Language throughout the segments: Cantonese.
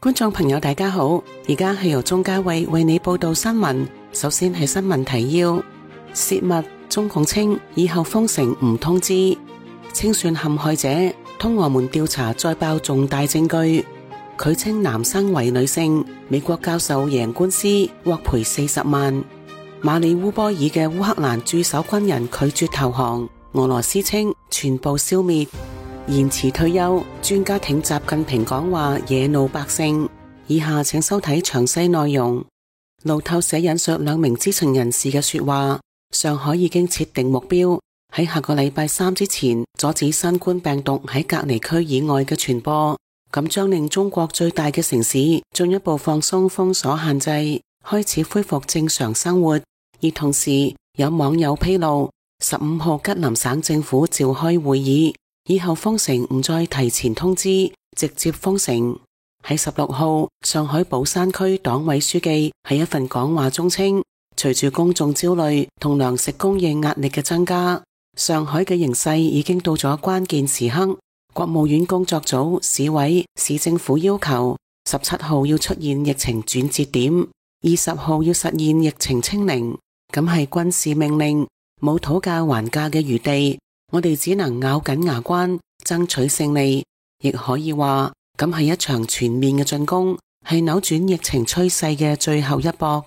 觀眾朋友大家好，而家係由鍾嘉慧為你報道新聞。首先係新聞提要：洩密，中共稱以後封城唔通知；清算陷害者，通俄門調查再爆重大證據；佢稱男生為女性，美國教授贏官司獲賠40萬；馬里烏波爾嘅烏克蘭駐守軍人拒絕投降，俄羅斯稱全部消滅；延遲退休，專家挺習近平講話惹怒百姓。以下請收睇詳細內容。路透社引述兩名知情人士嘅說話，上海已經設定目標，喺下個禮拜3之前阻止新冠病毒喺隔離區以外嘅傳播，咁將令中國最大嘅城市進一步放鬆封鎖限制，開始恢復正常生活。而同時有網友披露，15號吉林省政府召開會議，以後封城唔再提前通知，直接封城。喺16號，上海寶山區黨委書記喺一份講話中稱，隨住公眾焦慮同糧食供應壓力嘅增加，上海嘅形勢已經到咗關鍵時刻。國務院工作組、市委、市政府要求17號要出現疫情轉折點，20號要實現疫情清零，咁係軍事命令，冇討價還價嘅餘地，我哋只能咬緊牙關爭取勝利，亦可以話咁係一場全面嘅進攻，係扭轉疫情趨勢嘅最後一搏。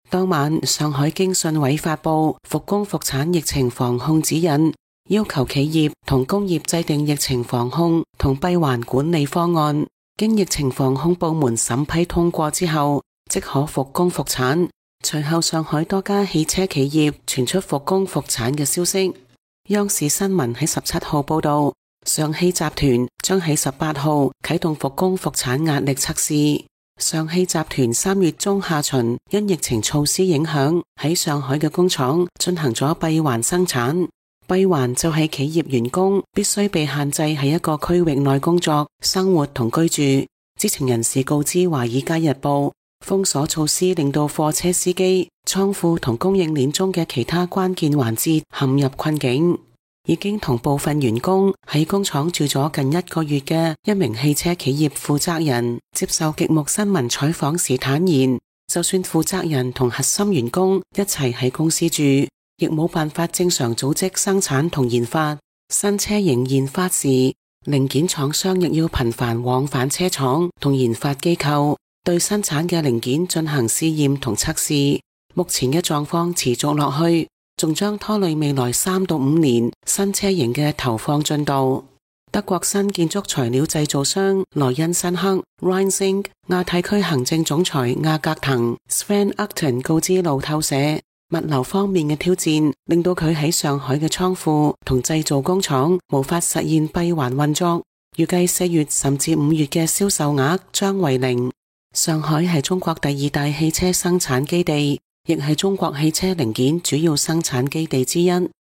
當晚，上海經信委發布復工復產疫情防控指引，要求企業同工業制定疫情防控同閉環管理方案，經疫情防控部門審批通過之後，即可復工復產。隨後，上海多家汽車企業傳出復工復產嘅消息。央視新聞喺17號報道，上汽集團將喺18號啟動復工復產壓力測試。上汽集團3月中下旬因疫情措施影響，喺上海嘅工廠進行咗閉環生產。閉環就係企業員工必須被限制喺一個區域內工作、生活同居住。知情人士告知《華爾街日報》，封鎖措施令到貨車司機、倉庫同供應鏈中嘅其他關鍵環節陷入困境。已經同部分員工喺工廠住咗近1個月嘅一名汽車企業負責人接受極目新聞採訪時坦言，就算負責人同核心員工一齊喺公司住，亦冇辦法正常組織生產同研發。新車型研發時，零件廠商亦要頻繁往返車廠同研發機構，對生產嘅零件進行試驗同測試。目前嘅狀況持續落去，仲將拖累未來3到5年新車型嘅投放進度。德國新建築材料製造商萊茵辛克 Rheinzink 亞太區行政總裁亞格騰 Sven Upton 告知路透社，物流方面嘅挑戰令到佢喺上海嘅倉庫同製造工廠無法實現閉環運作，預計4月甚至5月嘅銷售額將為0。上海係中國第2大汽車生產基地，亦係中國汽車零件主要生產基地之一。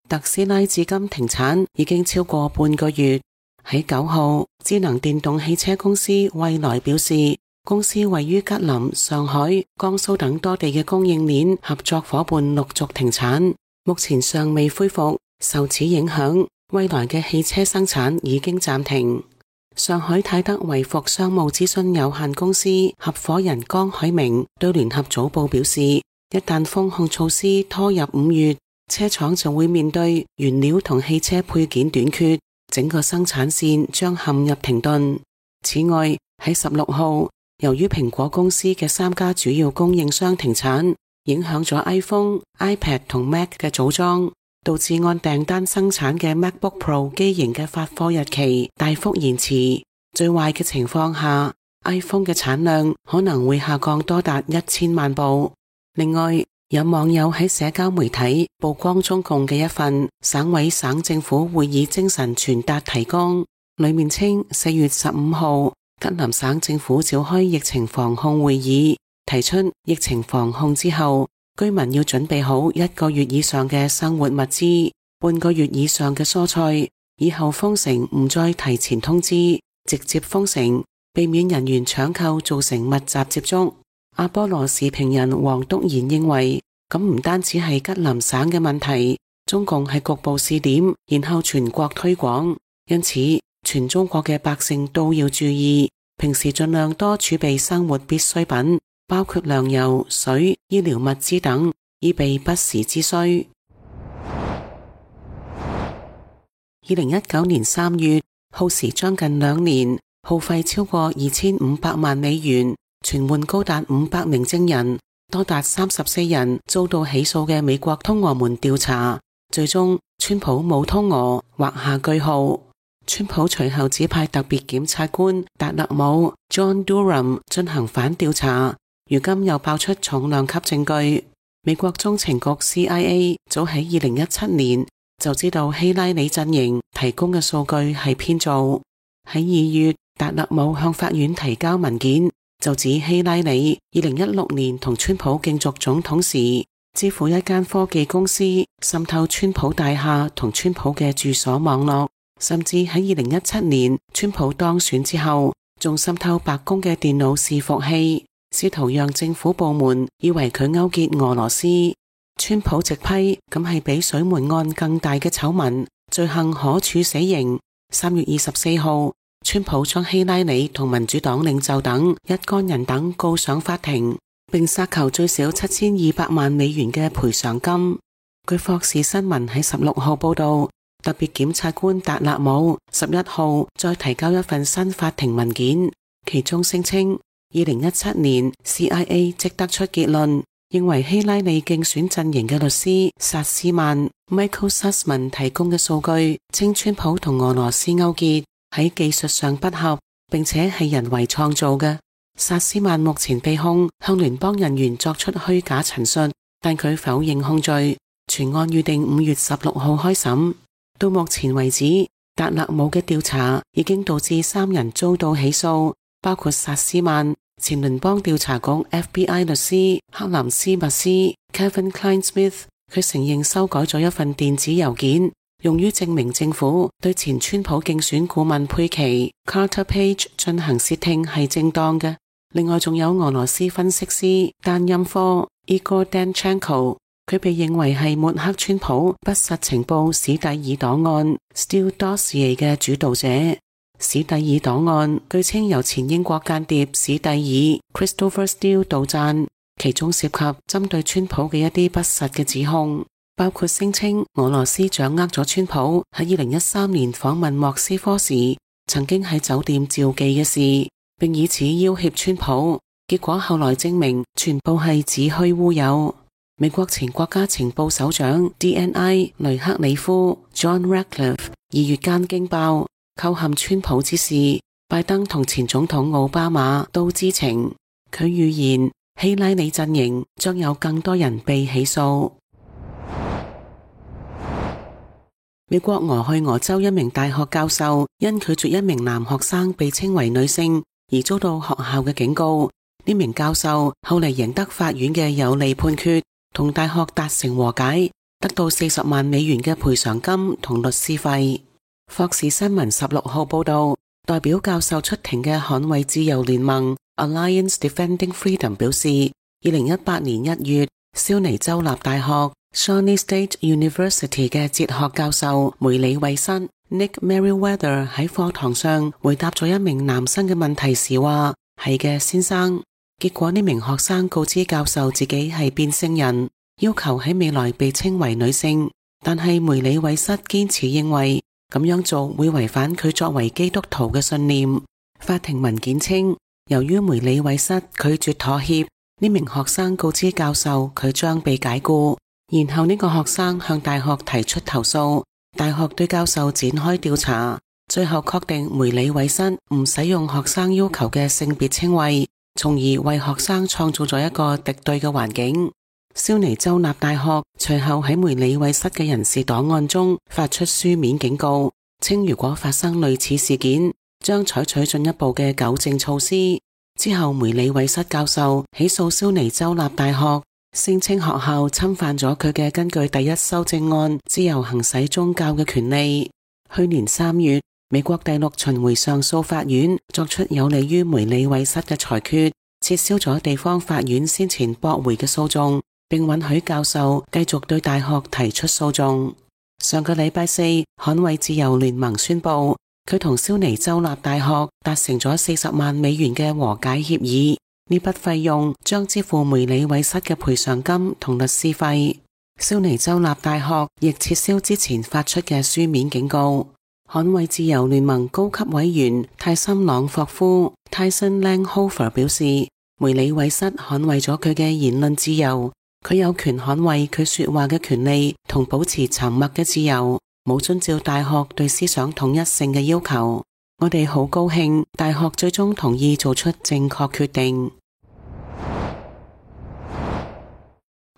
特斯拉至今停產已經超過半個月。喺9號，智能電動汽車公司蔚來表示，公司位於吉林、上海、江蘇等多地嘅供應鏈合作伙伴陸續停產，目前尚未恢復。受此影響，蔚來嘅汽車生產已經暫停。上海泰德維服商務諮詢有限公司合夥人江海明對聯合早報表示，一旦封控措施拖入5月，車廠就會面對原料同汽車配件短缺，整個生產線將陷入停頓。此外，喺16號，由於蘋果公司嘅3家主要供應商停產，影響咗 iPhone、iPad 同 Mac 嘅組裝，導致按訂單生產嘅 MacBook Pro 機型嘅發貨日期大幅延遲。最壞嘅情況下， iPhone 嘅產量可能會下降多達1000萬部。另外，有網友喺社交媒體曝光中共嘅一份省委省政府會議精神傳達提綱，裏面稱4月15號吉林省政府召開疫情防控會議，提出疫情防控之後，居民要準備好1個月以上嘅生活物資，半個月以上嘅蔬菜。以後封城唔再提前通知，直接封城，避免人員搶購造成密集接觸。阿波羅時評人黃篤賢認為，咁唔單止係吉林省嘅問題，中共係局部試點，然後全國推廣，因此全中國嘅百姓都要注意。平時盡量多儲備生活必需品，包括糧油、水、醫療物資等，以備不時之需。2019年3月，耗時將近2年，耗費超過2500萬美元，傳喚高達500名證人，多達34人遭到起訴嘅美國通俄門調查，最終川普冇通俄，畫下句號。川普隨後指派特別檢察官達勒姆 John Durham 進行反調查，如今又爆出重量級證據。美國中情局 CIA 早喺2017年就知道希拉里陣營提供嘅數據係編造。喺2月，達勒姆向法院提交文件，就指希拉里2016年同川普競逐總統時，支付一間科技公司滲透川普大廈同川普嘅住所網絡，甚至喺2017年川普當選之後，仲滲透白宮嘅電腦伺服器，試圖讓政府部門以為佢勾結俄羅斯。川普直批咁係比水門案更大嘅醜聞，罪行可處死刑。3月24號，川普將希拉里同民主黨領袖等一干人等告上法庭，並殺求最少7200萬美元嘅賠償金。據霍士新聞喺16號報道，特別檢察官達勒姆11號再提交一份新法庭文件，其中聲稱2017年 CIA 即得出結論，認為希拉里競選陣營嘅律師薩斯曼 Michael Sussman 提供嘅數據，稱川普同俄羅斯勾結，喺技術上不合，並且係人為創造嘅。薩斯曼目前被控向聯邦人員作出虛假陳述，但佢否認控罪。全案預定5月16號開審。到目前為止，達勒姆嘅調查已經導致3人遭到起訴，包括薩斯曼、前聯邦調查局 FBI 律師克林斯密斯 Kevin Clinesmith。佢承認修改咗一份電子郵件，用於證明政府對前川普競選顧問佩奇 Carter Page 進行竊聽係正當嘅。另外仲有俄羅斯分析師丹音科 Igor Danchenko， 佢被認為係抹黑川普不實情報史蒂爾檔案 Steele Dossier 嘅主導者。史蒂爾檔案據稱由前英國間諜史蒂爾 Christopher Steele 杜撰，其中涉及針對川普嘅一啲不實嘅指控，包括聲稱俄羅斯掌握咗川普喺2013年訪問莫斯科時曾經喺酒店召妓嘅事，並以此要挾川普，結果後來證明全部係子虛烏有。美國前國家情報首長 DNI 雷克里夫 John Ratcliffe 2月間驚爆構陷川普之事，拜登同前總統奧巴馬都知情。佢預言希拉里陣營將有更多人被起訴。美國俄亥俄州一名大學教授因拒絕一名男學生被稱為女性而遭到學校嘅警告。呢名教授後嚟贏得法院嘅有利判決，同大學達成和解，得到40萬美元嘅賠償金同律師費。霍士新聞16號報道，代表教授出庭嘅捍衛自由聯盟 Alliance Defending Freedom 表示，2018年1月，蕭尼州立大學 Shawnee State University 嘅哲學教授梅里衛瑟 Nick Merriweather 喺課堂上回答咗一名男生嘅問題時話：係嘅，先生。結果呢名學生告知教授自己係變性人，要求喺未來被稱為女性，但係梅里衛瑟堅持認為咁樣做會違反佢作為基督徒嘅信念。法庭文件稱，由於梅里衛瑟拒絕妥協，呢名學生告知教授佢將被解僱，然後呢個學生向大學提出投訴，大學對教授展開調查，最後確定梅里衛瑟唔使用學生要求嘅性別稱謂，從而為學生創造咗一個敵對嘅環境。蕭尼州立大學隨後喺梅里衛瑟嘅人事檔案中發出書面警告，稱如果發生類似事件，將採取進一步嘅糾正措施。之後梅里衛瑟教授起訴蕭尼州立大學，聲稱學校侵犯咗佢嘅根據第一修正案自由行使宗教嘅權利。去年3月，美國第6巡迴上訴法院作出有利於梅里衛瑟嘅裁決，撤銷咗地方法院先前駁回嘅訴訟，並允許教授繼續對大學提出訴訟。上個禮拜4，捍衛自由聯盟宣布佢同蕭尼州立大學達成咗40萬美元嘅和解協議，呢筆費用將支付梅里韋瑟嘅賠償金同律師費。蕭尼州立大學亦撤銷之前發出嘅書面警告。捍衛自由聯盟高級委員泰森朗霍夫 Tyson Langhofer 表示，梅里韋瑟捍衛咗佢嘅言論自由，佢有權捍衛佢說話嘅權利同保持沉默嘅自由，冇遵照大學對思想統一性嘅要求。我哋好高興大學最終同意做出正確決定。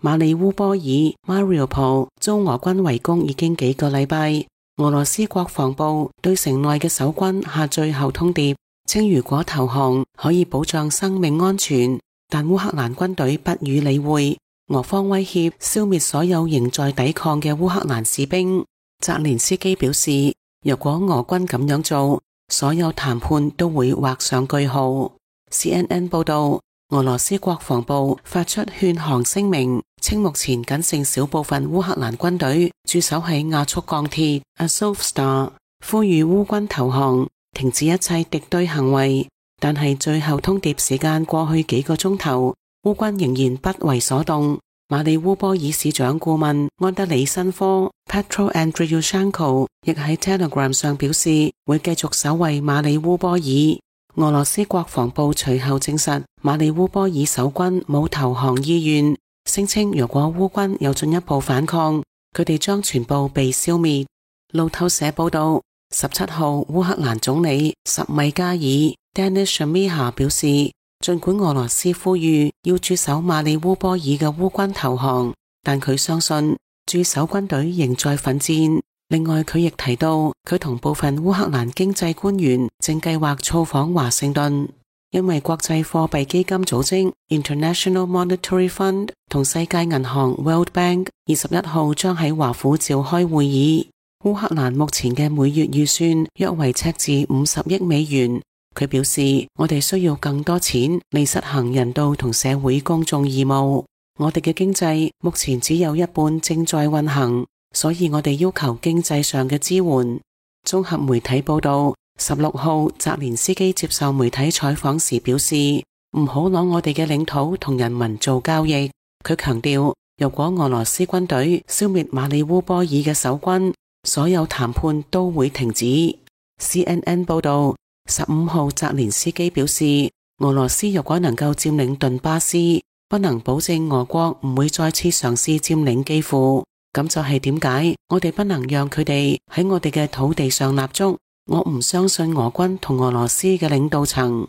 馬里烏波爾 Mariupol 遭俄軍圍攻已經幾個禮拜，俄羅斯國防部對城內嘅守軍下最後通牒，稱如果投降可以保障生命安全，但烏克蘭軍隊不予理會，俄方威脅消滅所有仍在抵抗嘅烏克蘭士兵。澤連斯基表示，如果俄軍咁樣做，所有談判都會畫上句號。CNN 報道，俄羅斯國防部發出勸降聲明，稱目前僅剩少部分烏克蘭軍隊駐守喺亞速鋼鐵 Azovstal， 呼籲烏軍投降，停止一切敵對行為。但係最後通牒時間過去幾個鐘頭，烏軍仍然不為所動。馬里烏波爾市長顧問安德里申科 Petro Andriushenko 亦喺 Telegram 上表示，會繼續守衛馬里烏波爾。俄羅斯國防部隨後證實，馬里烏波爾守軍冇投降意願，聲稱如果烏軍有進一步反抗，佢哋將全部被消滅。路透社報道，17號烏克蘭總理什米加爾 Denis Shmyhal 表示，儘管俄羅斯呼籲要駐守馬里烏波爾嘅烏軍投降，但佢相信駐守軍隊仍在奮戰。另外，佢亦提到佢同部分烏克蘭經濟官員正計劃造訪華盛頓，因為國際貨幣基金組織 International Monetary Fund 同世界銀行 World Bank 21號將喺華府召開會議。烏克蘭目前嘅每月預算約為赤字50億美元。佢表示，我哋需要更多錢嚟實行人道同社會公眾義務。我哋嘅經濟目前只有一半正在運行，所以我哋要求經濟上嘅支援。綜合媒體報道，16號澤連斯基接受媒體採訪時表示，唔好攞我哋嘅領土同人民做交易。佢強調，如果俄羅斯軍隊消滅馬里烏波爾嘅守軍，所有談判都會停止。CNN 報道，15號澤連斯基表示，俄羅斯如果能夠佔領頓巴斯，不能保證俄國唔會再次嘗試佔領基輔。咁就係點解我哋不能讓佢哋喺我哋嘅土地上立足。我唔相信俄軍同俄羅斯嘅領導層。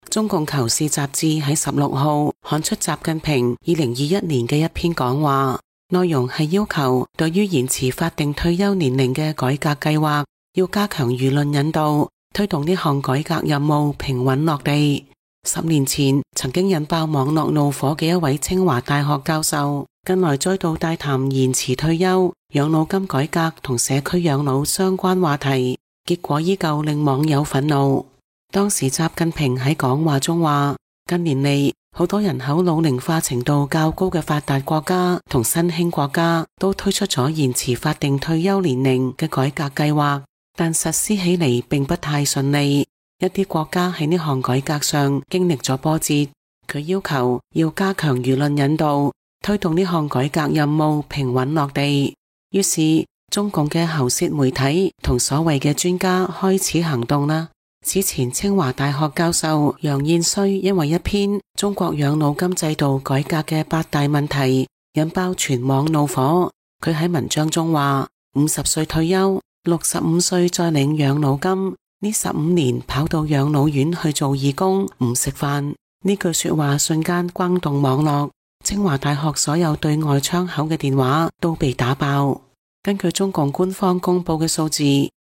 中共求是雜誌喺16號刊出習近平2021年嘅一篇講話，內容係要求對於延遲法定退休年齡嘅改革計劃，要加強輿論引導，推動呢項改革任務平穩落地。10年前曾經引爆網絡怒火嘅一位清華大學教授，近來再度大談延遲退休、養老金改革同社區養老相關話題，結果依舊令網友憤怒。當時習近平喺講話中話，近年嚟好多人口老齡化程度較高嘅發達國家同新興國家都推出咗延遲法定退休年齡嘅改革計劃，但實施起嚟並不太順利。一啲國家喺呢項改革上經歷咗波折，佢要求要加強輿論引導，推動呢項改革任務平穩落地。於是中共嘅喉舌媒體同所謂嘅專家開始行動啦。此前清華大學教授楊燕綏因為一篇中國養老金制度改革嘅8大問題引爆全網怒火。佢喺文章中話，50歲退休，65歲再領養老金，呢15年跑到養老院去做義工，唔食飯。呢句說話瞬間轟動網絡，清華大學所有對外窗口嘅電話都被打爆。根據中共官方公布嘅數字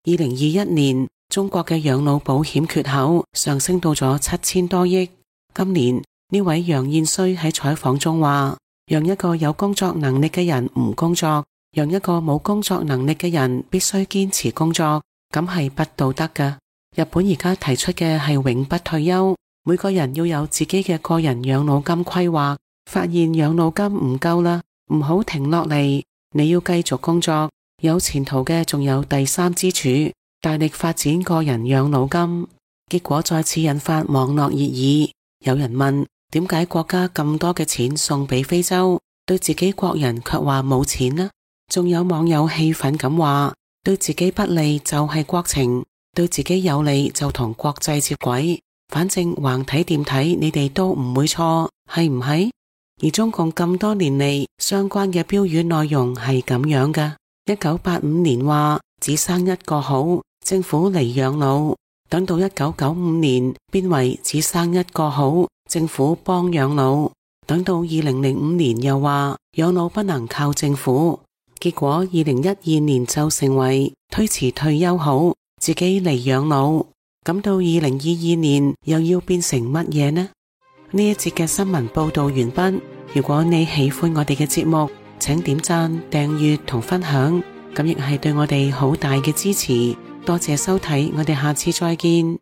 ，2021年中國嘅養老保險缺口上升到咗7000多億。今年呢位楊燕綏喺採訪中話，讓一個有工作能力嘅人唔工作，讓一個冇工作能力嘅人必須堅持工作，咁係不道德㗎。日本而家提出嘅係永不退休，每個人要有自己嘅個人養老金規劃。發現養老金唔夠啦，唔好停落嚟，你要繼續工作，有前途嘅仲有第三支柱，大力發展個人養老金，結果再次引發網絡熱議。有人問，點解國家咁多嘅錢送俾非洲，對自己國人卻話冇錢呢？仲有網友氣憤咁話，對自己不利就係國情，對自己有利就同國際接軌，反正橫睇掂睇你哋都唔會錯，係唔係？而中共咁多年嚟相關嘅標語內容係咁樣㗎。1985年話只生一個好，政府嚟養老，等到1995年變為只生一個好，政府幫養老，等到2005年又話養老不能靠政府，結果2012年就成為推遲退休好，自己嚟養老，咁到2022年又要變成乜嘢呢？呢一節嘅新聞報道完畢。如果你喜歡我哋嘅節目，請點讚、訂閱同分享，咁亦係對我哋好大嘅支持。多謝收睇，我哋下次再見。